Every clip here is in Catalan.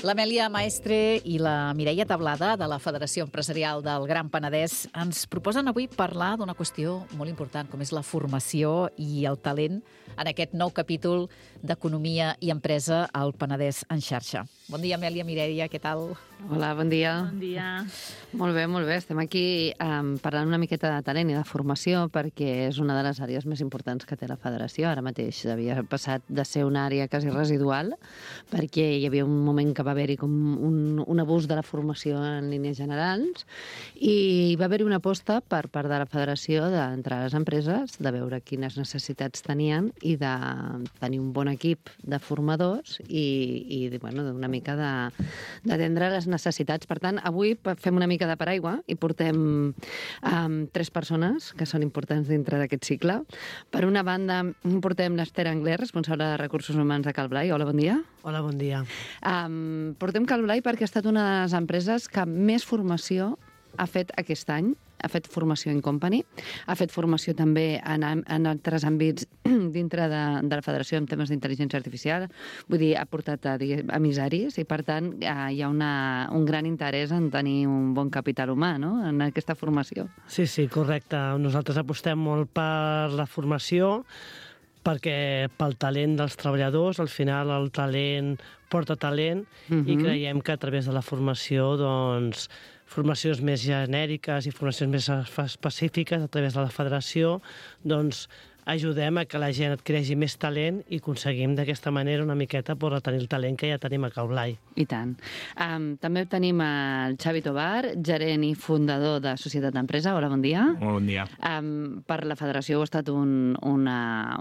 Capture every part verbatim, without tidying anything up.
L'Amèlia Maestre i la Mireia Tablada de la Federació Empresarial del Gran Penedès ens proposen avui parlar d'una qüestió molt important, com és la formació i el talent en aquest nou capítol d'Economia i Empresa al Penedès en xarxa. Bon dia, Amèlia, Mireia, què tal? Hola, bon dia. Bon dia. Molt bé, molt bé. Estem aquí um, parlant una miqueta de talent i de formació perquè és una de les àrees més importants que té la Federació. Ara mateix havia passat de ser una àrea quasi residual perquè hi havia un moment que va haver-hi com un, un abús de la formació en línies generals i hi va haver-hi una aposta per part de la Federació d'entrar a les empreses, de veure quines necessitats tenien i de tenir un bon equip de formadors i, i bueno, una mica d'atendre les necessitats. Per tant, avui fem una mica de paraigua i portem um, tres persones que són importants dintre d'aquest cicle. Per una banda, portem l'Ester Angler, responsable de Recursos Humans de Calblai. Hola, bon dia. Hola, bon dia. Um, portem Calblai perquè ha estat una de les empreses que més formació ha fet aquest any. Ha fet formació in company, ha fet formació també en, en altres àmbits dintre de, de la Federació en temes d'intel·ligència artificial. Vull dir, ha portat a, a emissaris i, per tant, hi ha una, un gran interès en tenir un bon capital humà, no?, en aquesta formació. Sí, sí, correcte. Nosaltres apostem molt per la formació, perquè pel talent dels treballadors, al final el talent porta talent, uh-huh. i creiem que a través de la formació, doncs, formacions més genèriques i formacions més específiques a través de la federació, doncs ajudem a que la gent adquireixi més talent i aconseguim d'aquesta manera una miqueta per tenir el talent que ja tenim a Calblai. I tant. Um, també tenim el Xavi Tobar, gerent i fundador de Societat d'Empresa. Hola, bon dia. Molt bon dia. Um, per la federació heu estat un, una,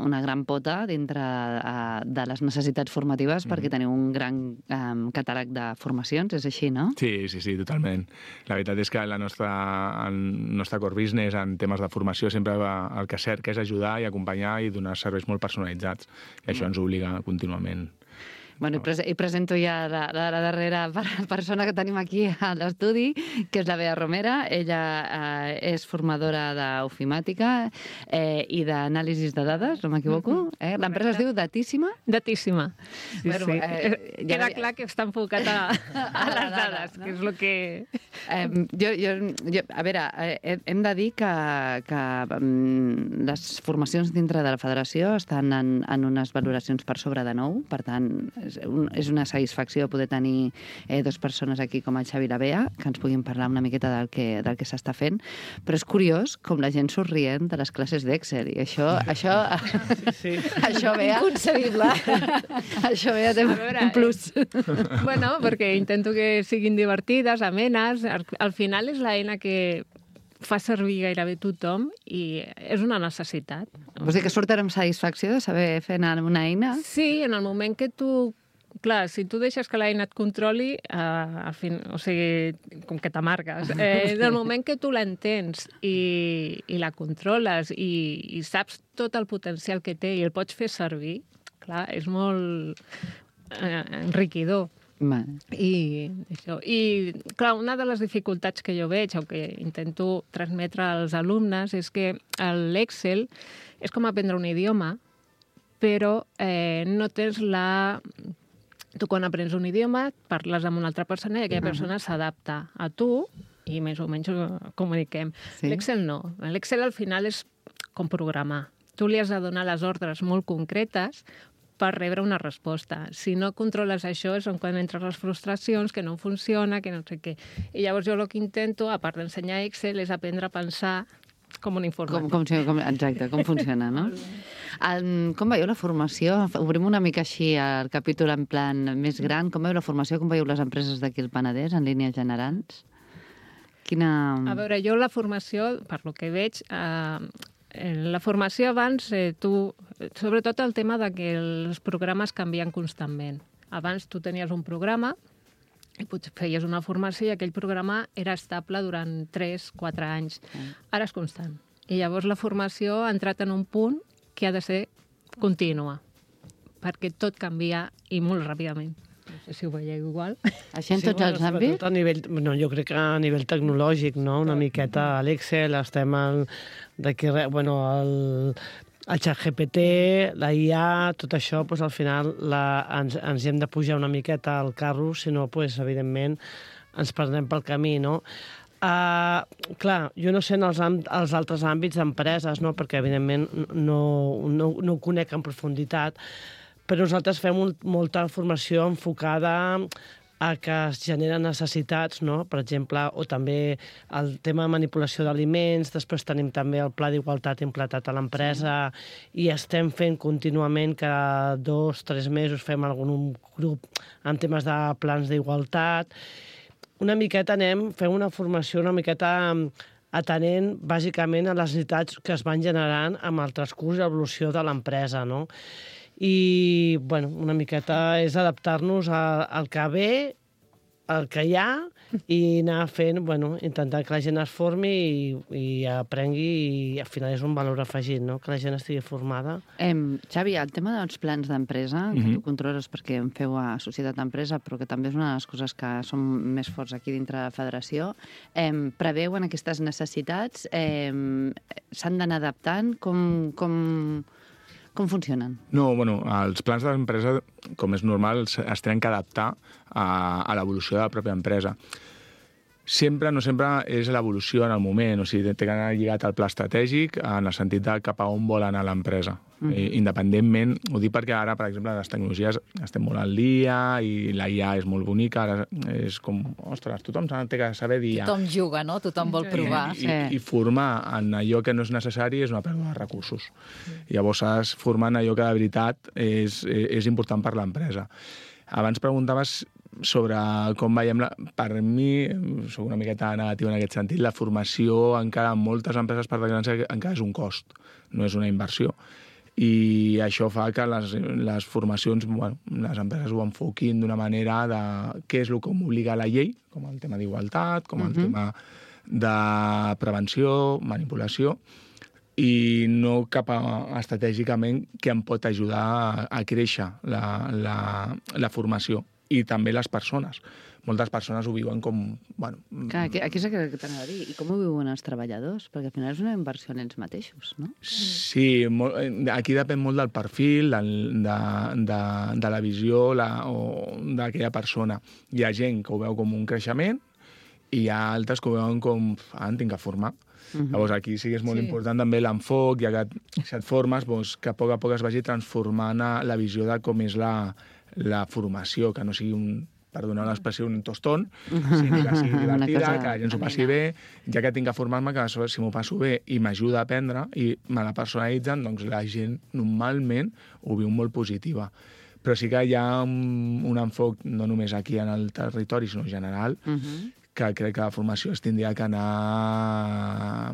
una gran pota dintre uh, de les necessitats formatives, mm. perquè teniu un gran um, catàleg de formacions, és així, no? Sí, sí, sí, totalment. La veritat és que la nostra, el nostre core business en temes de formació sempre va, el que cerca és ajudar i acompanyar i donar serveis molt personalitzats. I això ens obliga contínuament. Bueno, i, pres i presento ja la, la, la darrera persona que tenim aquí a l'estudi, que és la Bea Romera. Ella eh, és formadora d'ofimàtica eh, i d'anàlisis de dades, no m'equivoco. Eh? L'empresa es diu Datíssima? Datíssima. Sí, bueno, sí. Eh, Queda ja... clar que està enfocat a, a les dades, no? Que és el que... Eh, jo, jo, jo, a veure, eh, hem de dir que, que um, les formacions dintre de la federació estan en, en unes valoracions per sobre de nou, per tant, és una satisfacció poder tenir eh, dues persones aquí com el Xavi i la Bea, que ens puguin parlar una miqueta del que, del que s'està fent, però és curiós com la gent surt rient de les classes d'Excel, i això, això, sí, sí. això Bea... Inconcebible. Això Bea té veure, un plus. Bueno, perquè intento que siguin divertides, amenes, al, al final és l'eina que fa servir gairebé tothom i és una necessitat. Vols dir que surten amb satisfacció de saber fer anar amb una eina? Sí, en el moment que tu... Clar, si tu deixes que l'eina et controli, eh, al fin, o sigui, com que t'amargues, eh, del moment que tu l'entens i, i la controles i, i saps tot el potencial que té i el pots fer servir, clar, és molt eh, enriquidor. Vale. I, això. I, clar, una de les dificultats que jo veig, o que intento transmetre als alumnes, és que l'Excel és com aprendre un idioma, però eh, no tens la... Tu, quan aprens un idioma, parles amb una altra persona i aquella persona s'adapta a tu i més o menys comuniquem. Sí. L'Excel no. L'Excel al final és com programar. Tu li has de donar les ordres molt concretes per rebre una resposta. Si no controles això és quan entren les frustracions, que no funciona, que no sé què. I llavors jo el que intento, a part d'ensenyar Excel, és aprendre a pensar com un informàtic. Com, com, com, exacte, com funciona, no? Um, com veieu la formació? Obrim una mica així el capítol en plan més gran. Com veieu la formació? Com veieu les empreses d'aquí al Penedès, en línies generals? Quina... A veure, jo la formació, per lo que veig, eh, la formació abans, eh, tu, sobretot el tema de que els programes canvien constantment. Abans tu tenies un programa i potser feies una formació i aquell programa era estable durant tres quatre anys. Ara és constant. I llavors la formació ha entrat en un punt que ha de ser contínua, perquè tot canvia i molt ràpidament. No sé si ho veieu igual. Així en tots els àmbits? A nivell, no, jo crec que a nivell tecnològic, no? Una miqueta a l'Excel, estem al, d'aquí, bueno, el, el ChatGPT, la I A, tot això, doncs, al final la, ens, ens hem de pujar una miqueta al carro, si no, doncs, evidentment, ens perdrem pel camí, no? Uh, clar, jo no sé en els, els altres àmbits d'empreses, no? Perquè, evidentment, no, no, no ho conec en profunditat, però nosaltres fem un, molta formació enfocada a que es generen necessitats, no? Per exemple, o també el tema de manipulació d'aliments, després tenim també el pla d'igualtat implantat a l'empresa sí. I estem fent contínuament cada dos, tres mesos fem algun grup en temes de plans d'igualtat. Una miqueta anem, fem una formació una miqueta atenent bàsicament a les necessitats que es van generant amb el transcurs i l'evolució de l'empresa, no? I, bueno, una miqueta és adaptar-nos al que ve, al que hi ha, i anar fent, bueno, intentar que la gent es formi i, i aprengui, i al final és un valor afegit, no?, que la gent estigui formada. Em, Xavi, el tema dels plans d'empresa, que Mhm. tu controles perquè em feu a Societat d'Empresa, però que també és una de les coses que són més forts aquí dintre de la federació, em, preveuen aquestes necessitats, em, s'han d'anar adaptant, com... com... Com funcionen? No, bueno, els plans de l'empresa, com és normal, es tenen que adaptar a, a l'evolució de la pròpia empresa. Sempre, no sempre, és l'evolució en el moment, o sigui, té que anar lligat al pla estratègic en el sentit de cap a on vol anar l'empresa. Mm. I, independentment, ho dic perquè ara, per exemple, les tecnologies estem molt al dia i la I A és molt bonica, ara és com, ostres, tothom té que saber dir I A. Tothom juga, no? Tothom vol provar. I, i, i formar en allò que no és necessari és una pèrdua de recursos. Llavors, has formar en allò que de veritat és, és important per l'empresa. Abans preguntaves sobre com veiem... La... Per mi, soc una miqueta negatiu en aquest sentit, la formació encara en moltes empreses, per desgràcia, encara és un cost, no és una inversió. I això fa que les, les formacions, bueno, les empreses ho enfoquin d'una manera de què és el que m'obliga la llei, com el tema d'igualtat, com el uh-huh. tema de prevenció, manipulació, i no cap a, estratègicament què em pot ajudar a, a créixer la, la, la formació. I també les persones. Moltes persones ho viuen com... Bueno, Clar, aquí, aquí és el que t'anava a dir. I com ho viuen els treballadors? Perquè al final és una inversió en ells mateixos, no? Sí, molt, aquí depèn molt del perfil, de, de, de, de la visió la, o d'aquella persona. Hi ha gent que ho veu com un creixement i hi ha altres que ho veuen com... Ah, em tinc que formar. Uh-huh. Llavors aquí sí que és molt sí. important també l'enfoc, ja que si et formes, doncs, que a poc a poc es vagi transformant la visió de com és la, la formació, que no sigui un, per donar l'expressió, un tostón, sinó que sigui divertida, que la gent s'ho passi bé, ja que tinc que formar-me, que si m'ho passo bé i m'ajuda a aprendre i me la personalitzen, doncs la gent normalment ho viu molt positiva. Però sí que hi ha un, un enfoc, no només aquí en el territori, sinó en general, uh-huh. que crec que la formació es tindria que anar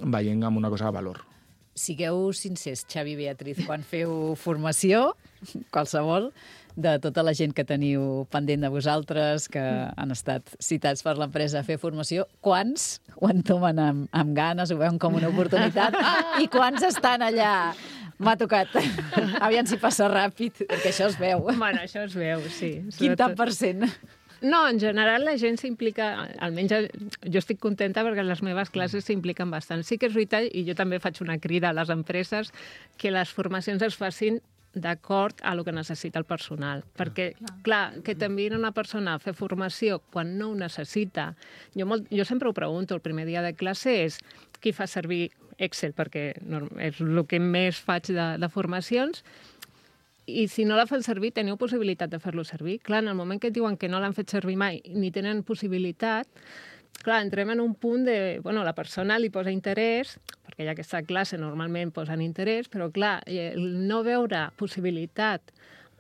veient amb una cosa de valor. Sigueu sincers, Xavi i Beatriz, quan feu formació, qualsevol, de tota la gent que teniu pendent de vosaltres, que han estat citats per l'empresa a fer formació, quants ho entomen amb, amb ganes, ho veuen com una oportunitat, i quants estan allà? M'ha tocat. Aviam si passa ràpid, perquè això es veu. Bueno, això es veu, sí. Quin tant per cent? No, en general la gent s'implica, almenys jo estic contenta perquè les meves classes s'impliquen bastant. Sí que és veritat, i jo també faig una crida a les empreses, que les formacions es facin d'acord a el que necessita el personal. Perquè, clar, que t'enviïn una persona a fer formació quan no ho necessita. Jo, molt, jo sempre ho pregunto, el primer dia de classe és qui fa servir Excel, perquè és el que més faig de, de formacions, i si no la fan servir, teniu possibilitat de fer-lo servir. Clar, en el moment que et diuen que no l'han fet servir mai ni tenen possibilitat, clar, entrem en un punt de... Bueno, la persona li posa interès, perquè ja aquesta classe normalment posen interès, però clar, el no veure possibilitat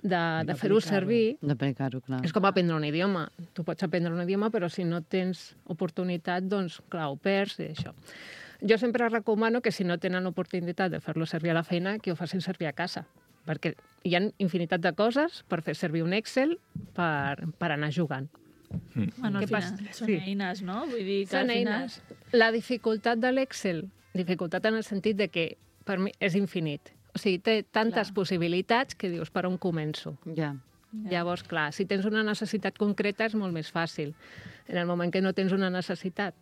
de, de fer-ho servir... D'aplicar-ho, clar. És com aprendre un idioma. Tu pots aprendre un idioma, però si no tens oportunitat, doncs, clar, ho perds i això. Jo sempre recomano que si no tenen oportunitat de fer-lo servir a la feina, que ho facin servir a casa, perquè hi ha infinitat de coses per fer servir un Excel per, per anar jugant. Mm. Bueno, al final són sí. eines, no? Vull dir que són al final... eines. La dificultat de l'Excel, dificultat en el sentit de que per mi és infinit. O sigui, té tantes clar. possibilitats que dius, per on començo? Ja. Ja. Llavors, clar, si tens una necessitat concreta és molt més fàcil. En el moment que no tens una necessitat,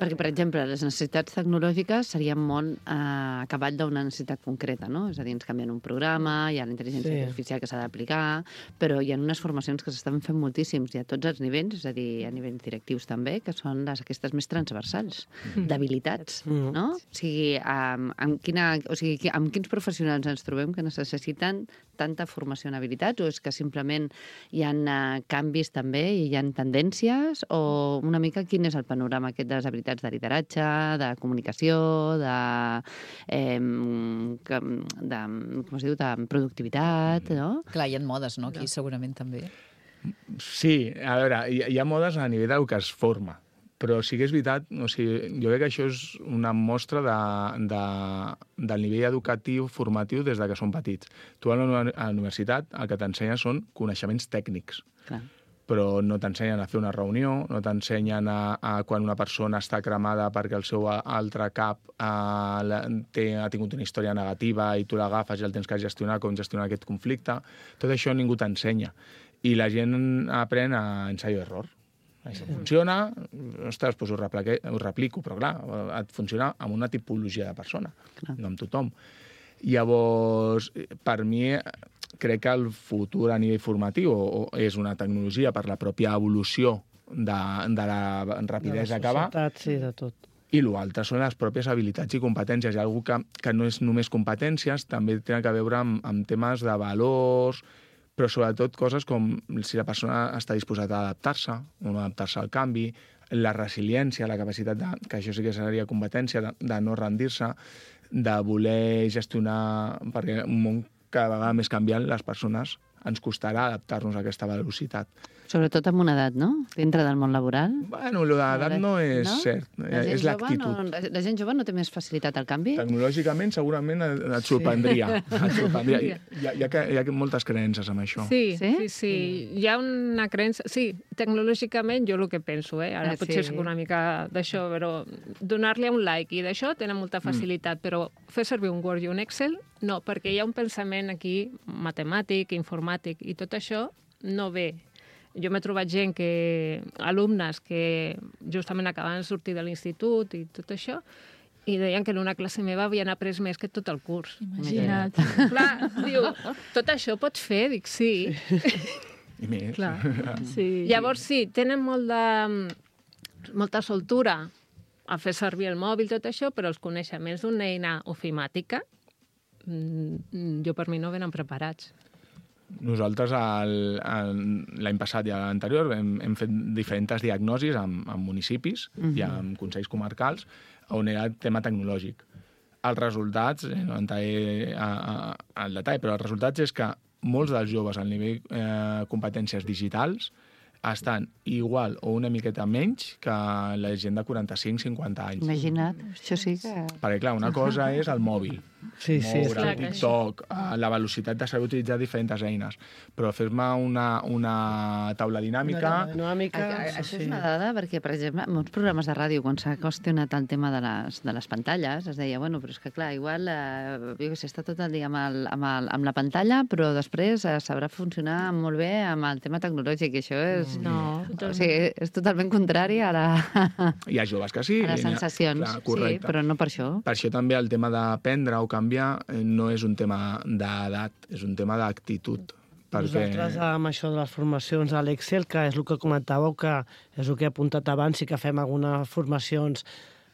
Perquè, per exemple, les necessitats tecnològiques serien molt eh, a cavall d'una necessitat concreta, no? És a dir, ens canvien un programa, hi ha la intel·ligència Sí. artificial que s'ha d'aplicar, però hi ha unes formacions que s'estan fent moltíssims i a tots els nivells, és a dir, a nivells directius també, que són les aquestes més transversals, d'habilitats, Mm. no? O sigui, amb, amb, quina, o sigui, qui- amb quins professionals ens trobem que necessiten tanta formació en habilitats, o és que simplement hi ha uh, canvis també i hi ha tendències, o una mica quin és el panorama aquest de les habilitats de lideratge, de comunicació, de, eh, que- de, com es diu, de productivitat, no? Clar, hi ha modes, no? Aquí segurament també. Sí, a veure, hi, hi ha modes a nivell del que es forma, però sí que és veritat, o sigui, jo crec que això és una mostra de, de, del nivell educatiu, formatiu, des de que són petits. Tu a la, uni- a la universitat el que t'ensenya són coneixements tècnics, Clar. però no t'ensenyen a fer una reunió, no t'ensenyen a, a quan una persona està cremada perquè el seu altre cap a, la, té, ha tingut una història negativa i tu l'agafes i el tens que gestionar, com gestionar aquest conflicte. Tot això ningú t'ensenya. I la gent aprèn a ensaio-error. Això funciona, ostres, doncs ho, replique, ho replico, però clar, et funciona amb una tipologia de persona, Clar. no amb tothom. Llavors, per mi, crec que el futur a nivell formatiu o, o és una tecnologia per la pròpia evolució de, de la rapidesa que va, societat, sí, de tot. i l'altre són les pròpies habilitats i competències. Hi ha algú que, que no és només competències, també té a veure amb, amb temes de valors, però sobretot coses com si la persona està disposada a adaptar-se o no adaptar-se al canvi, la resiliència, la capacitat, de, que això sí que seria competència, de, de no rendir-se, de voler gestionar, perquè un món cada vegada més canviant, les persones ens costarà adaptar-nos a aquesta velocitat. Sobretot amb una edat, no? Dintre del món laboral. Bueno, l'edat no és No? cert, La gent és jove l'actitud. No, la gent jove no té més facilitat al canvi? Tecnològicament, segurament et et sorprendria. Et sorprendria. Hi, ha, hi, ha, hi ha moltes creences amb això. Sí, Sí? sí, sí, sí. Hi ha una creença... Sí, tecnològicament jo el que penso, eh? Ara Ah, potser sí. soc una mica d'això, però donar-li un like i d'això tenen molta facilitat, però fer servir un Word i un Excel, no, perquè hi ha un pensament aquí matemàtic, informàtic, i tot això no ve. Jo m'he trobat gent que... alumnes que justament acabaven de sortir de l'institut i tot això, i deien que en una classe meva havien après més que tot el curs. Imagina't. Clar, diu, tot això pots fer? Dic, sí. I més. Clar. Sí. Llavors, sí, tenen molt de, molta soltura a fer servir el mòbil, tot això, però els coneixements d'una eina ofimàtica, mm, jo per mi no venen preparats. Nosaltres el- el- l'any passat i l'anterior hem, hem fet diferents diagnosis amb, amb municipis i amb consells comarcals on era el tema tecnològic. Els resultats, eh, no entraré a- a- al detall, però els resultats és que molts dels joves al nivell eh, competències digitals estan igual o una miqueta menys que la gent de quaranta-cinc cinquanta anys. Imagina't, això sí que... Perquè, clar, una cosa és el mòbil, Sí, sí, és moure, clar que TikTok, eh, la velocitat de saber utilitzar diferents eines. Però fer-me una, una taula dinàmica... dinàmica, A, a, això sí. és una dada perquè, per exemple, en molts programes de ràdio, quan s'ha qüestionat el tema de les, de les pantalles, es deia, bueno, però és que clar, igual, eh, jo què sé, està tot el dia amb, el, amb, el, amb la pantalla, però després eh, sabrà funcionar molt bé amb el tema tecnològic, i això és... No, O sigui, és totalment contrari a, la, Hi ha joves que sí. a les hi ha- sensacions, clar, sí, correcte. però no per això. Per això també el tema d'aprendre o canviar eh, no és un tema d'edat, és un tema d'actitud. Perquè... Nosaltres, amb això de les formacions a l'Excel, que és el que comentàveu, que és el que he apuntat abans, i que fem algunes formacions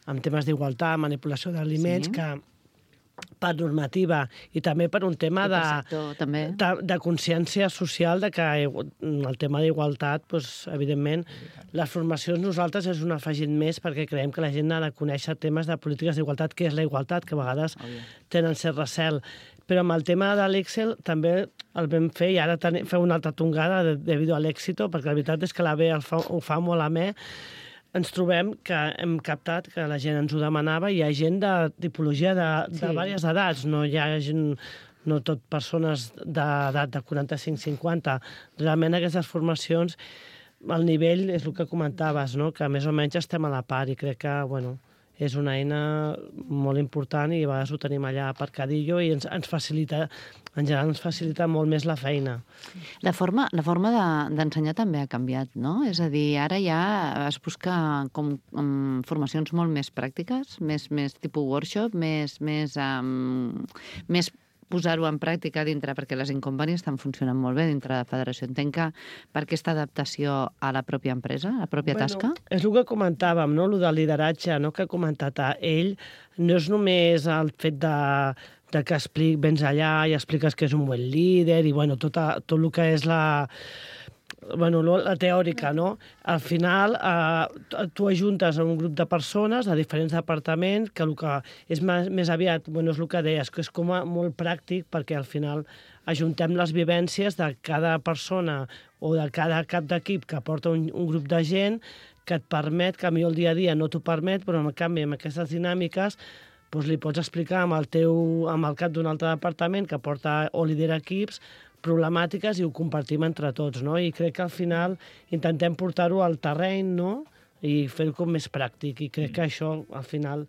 amb temes d'igualtat, manipulació d'aliments, Sí. que per normativa i també per un tema I de, per sector, també. de, de consciència social de que el tema d'igualtat, doncs, evidentment, les formacions nosaltres és un afegit més perquè creiem que la gent ha de conèixer temes de polítiques d'igualtat, què és la igualtat, que a vegades tenen cert recel. Però amb el tema de l'Excel també el vam fer i ara ten, feu una altra tongada de, debido a l'èxito, perquè la veritat és que la B el fa, ho fa molt amè. Ens trobem que hem captat que la gent ens ho demanava i hi ha gent de tipologia de, de Sí. diverses edats, no hi ha gent, no tot persones d'edat de quaranta-cinc cinquanta. Realment aquestes formacions, el nivell és el que comentaves, no? Que més o menys estem a la part i crec que, bueno, és una eina molt important i a vegades ho tenim allà aparcadillo i ens, ens facilita, en general ens facilita molt més la feina. La forma, la forma de, d'ensenyar també ha canviat, no? És a dir, ara ja es busca com, com formacions molt més pràctiques, més, més tipus workshop, més, més, um, més posar-ho en pràctica dintre, perquè les incompanies estan funcionant molt bé dintre de la federació. Entenc que per aquesta adaptació a la pròpia empresa, a la pròpia bueno, tasca? És el que comentàvem, no? El del lideratge, no? Que ha comentat ell, no és només el fet de, de que explic, vens allà i expliques que és un bon líder i bueno, tot, a, tot el que és la... bueno, la teòrica, no? Al final, eh, tu ajuntes a un grup de persones de diferents departaments que el que és més, més aviat, bueno, és el que deies, que és com a molt pràctic perquè al final ajuntem les vivències de cada persona o de cada cap d'equip que porta un, un grup de gent que et permet, que a mi el dia a dia no t'ho permet, però en canvi amb aquestes dinàmiques doncs li pots explicar amb el, teu, amb el cap d'un altre departament que porta o lidera equips problemàtiques i ho compartim entre tots, no? I crec que al final intentem portar-ho al terreny, no? I fer-ho com més pràctic. I crec que això, al final,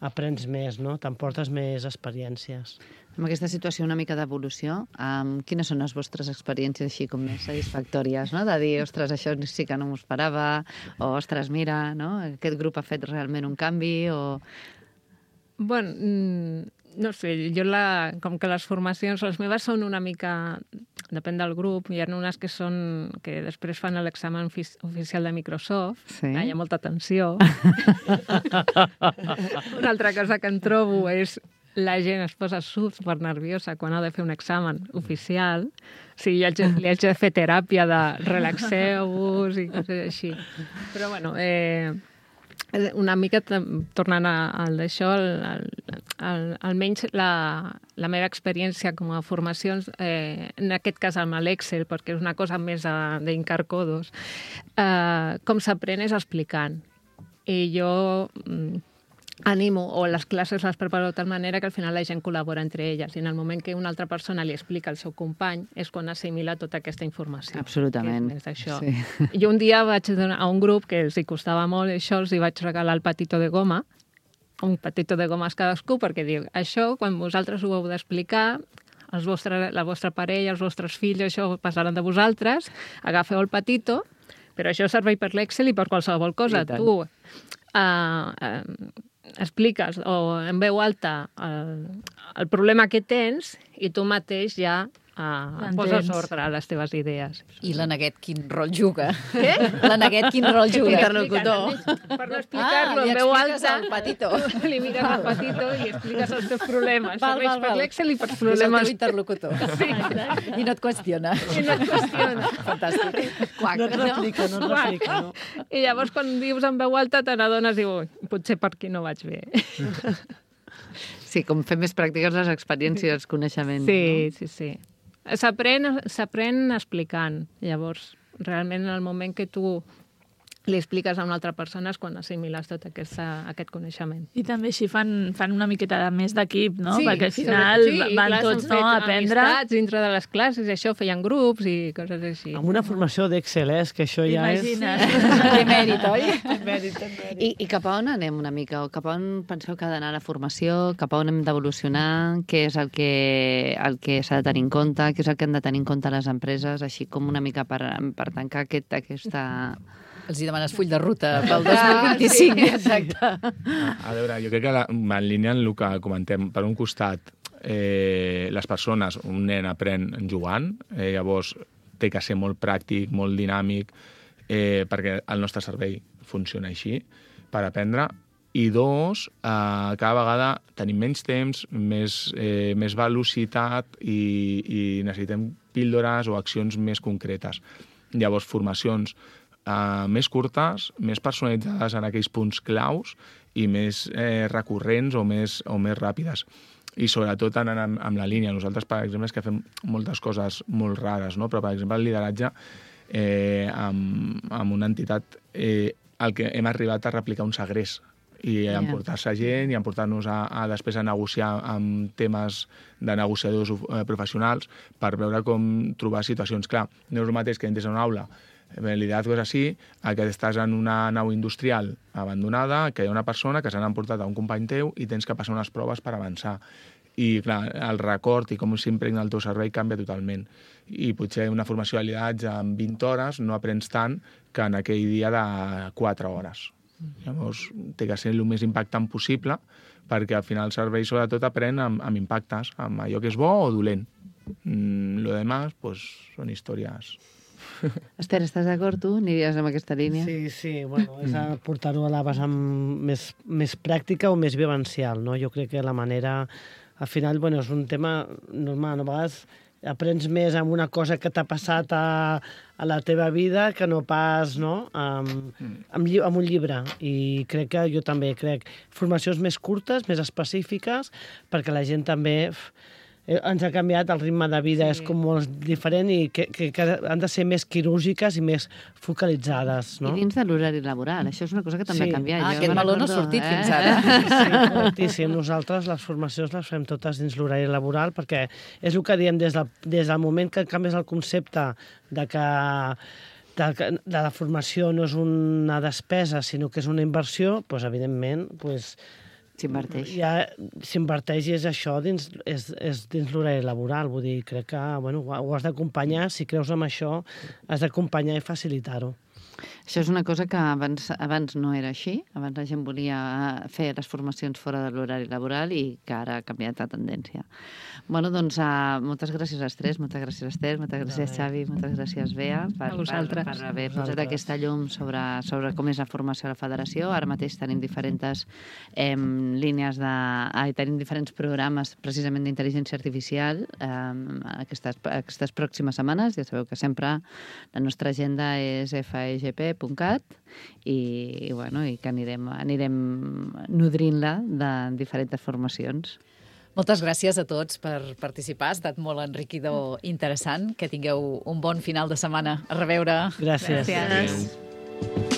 aprens més, no? T'emportes més experiències. En aquesta situació una mica d'evolució, um, quines són les vostres experiències així com més satisfactòries, no? De dir, ostres, això sí que no m'ho esperava, o ostres, mira, no? Aquest grup ha fet realment un canvi, o... Bueno, no sé, jo la, com que les formacions, les meves són una mica, depèn del grup, hi ha unes que són, que després fan l'examen oficial de Microsoft, sí. Hi ha molta tensió. Una altra cosa que em trobo és la gent es posa super nerviosa quan ha de fer un examen oficial. O sigui, li haig de fer teràpia de relaxeu-vos i coses així. Però, bueno, eh, una mica tornant al d'això, almenys la, la meva experiència com a formacions, eh, en aquest cas amb l'Excel, perquè és una cosa més d'Incarcodos, eh, com s'aprèn és explicant. I jo animo, o les classes les preparo de tal manera que al final la gent col·labora entre elles, i en el moment que una altra persona li explica al seu company és quan assimila tota aquesta informació. Absolutament. Sí. Jo un dia vaig donar a un grup que els hi costava molt, això els hi vaig regalar el patito de goma, un patito de gomes cadascú, perquè diu, això, quan vosaltres ho heu d'explicar, els vostre, la vostra parella, els vostres fills, això passaran de vosaltres, agafeu el patito, però això serveix per l'Excel i per qualsevol cosa. Tu... Uh, uh, expliques o en veu alta el, el problema que tens i tu mateix ja uh, poses ordre a les teves idees. I la Neguet quin rol juga? Què? La Neguet quin rol juga? Interlocutor. Per no explicar-lo ah, en veu alta... Ah, li expliques el patito. Li mires el patito i expliques els teus problemes. Val, val, val. Per l'Excel i per problemes... És el teu interlocutor. Sí. I no et qüestiona. I no et qüestiona. Fantàstic. Quac, no et replica, no et replica. No? I llavors, quan dius en veu alta, te n'adones i dius, potser per aquí no vaig bé. Sí, com fer més pràctiques les experiències, els coneixements. Sí, no? sí, sí. S'aprèn, s'aprèn explicant. Llavors, realment, en el moment que tu li expliques a una altra persona és quan assimiles tot aquesta, aquest coneixement. I també així fan, fan una miqueta de més d'equip, no? Sí, perquè al final sí, van clar, tots no, a aprendre... amistats dintre de les classes, i això, feien grups i coses així. Amb una formació d'Excel, eh? Que això ja Imagina't. és... Que mèrit, oi? Mèrit, mèrit. I, I cap a on anem una mica? O cap a on penseu que ha d'anar la formació? Cap a on hem d'evolucionar? Què és el que, el que s'ha de tenir en compte? Què és el que han de tenir en compte les empreses? Així com una mica per, per tancar aquest, aquesta... Els hi demanes full de ruta pel dos mil vint-i-cinc. Sí, exacte. A veure, jo crec que la, en línia en el que comentem, per un costat, eh, les persones, un nen aprèn jugant, eh, llavors té que ser molt pràctic, molt dinàmic, eh, perquè el nostre cervell funciona així, per aprendre. I dos, eh, cada vegada tenim menys temps, més, eh, més velocitat i, i necessitem píldores o accions més concretes. Llavors, formacions Uh, més curtes, més personalitzades en aquells punts claus i més eh, recurrents o més, o més ràpides. I sobretot anant amb, amb la línia. Nosaltres, per exemple, és que fem moltes coses molt rares, no? Però, per exemple, el lideratge eh, amb, amb una entitat eh, el que hem arribat a replicar un segrest i yeah. emportar-se gent i emportar-nos a, a després a negociar amb temes de negociadors eh, professionals per veure com trobar situacions. Clar, no és el mateix que entres a una aula El liderazgo és així, que estàs en una nau industrial abandonada, que hi ha una persona que s'han emportat a un company teu i tens que passar unes proves per avançar. I, clar, el record i com s'impregna el teu servei canvia totalment. I potser una formació de lideratge en vint hores no aprens tant que en aquell dia de quatre hores. Llavors, té que ser el més impactant possible, perquè al final el servei sobretot aprèn amb, amb impactes, amb allò que és bo o dolent. Mm, lo demás, pues, són històries. Esther, estàs d'acord tu? Aniries amb aquesta línia? Sí, sí, bueno, és a portar-ho a la vessant més, més pràctica o més vivencial, no? Jo crec que la manera... Al final, bueno, és un tema normal, no? A vegades aprens més amb una cosa que t'ha passat a, a la teva vida que no pas, no?, amb, amb, lli amb un llibre. I crec que jo també crec formacions més curtes, més específiques, perquè la gent també... Ens ha canviat el ritme de vida, sí. És com molt diferent i que, que, que han de ser més quirúrgiques i més focalitzades, no? I dins de l'horari laboral, això és una cosa que també sí. ha canviat. Ah, jo aquest meló no ha sortit eh? fins ara. Sí, correctíssim. Nosaltres les formacions les fem totes dins l'horari laboral perquè és el que diem des del, des del moment que canvies el concepte de que de, de la formació no és una despesa, sinó que és una inversió, doncs, evidentment, doncs, s'inverteix. Ja s'inverteix i és això dins, és, és dins l'horari laboral. Vull dir, crec que bueno, ho has d'acompanyar, si creus en això, has d'acompanyar i facilitar-ho. Això és una cosa que abans, abans no era així. Abans la gent volia fer les formacions fora de l'horari laboral i que ara ha canviat la tendència. Bueno, doncs, uh, moltes gràcies a les tres, moltes gràcies Esther, moltes gràcies Xavi, moltes gràcies Bea per, per, per haver posat aquesta llum sobre, sobre com és la formació a la federació. Ara mateix tenim diferents eh, línies de... Ah, tenim diferents programes precisament d'intel·ligència artificial eh, aquestes, aquestes pròximes setmanes. Ja sabeu que sempre la nostra agenda és f e g p punt cat i, i, bueno, i que anirem, anirem nodrint-la de diferents formacions. Moltes gràcies a tots per participar. Ha estat molt enriquidor i interessant. Que tingueu un bon final de setmana. A reveure. Gràcies. Gràcies.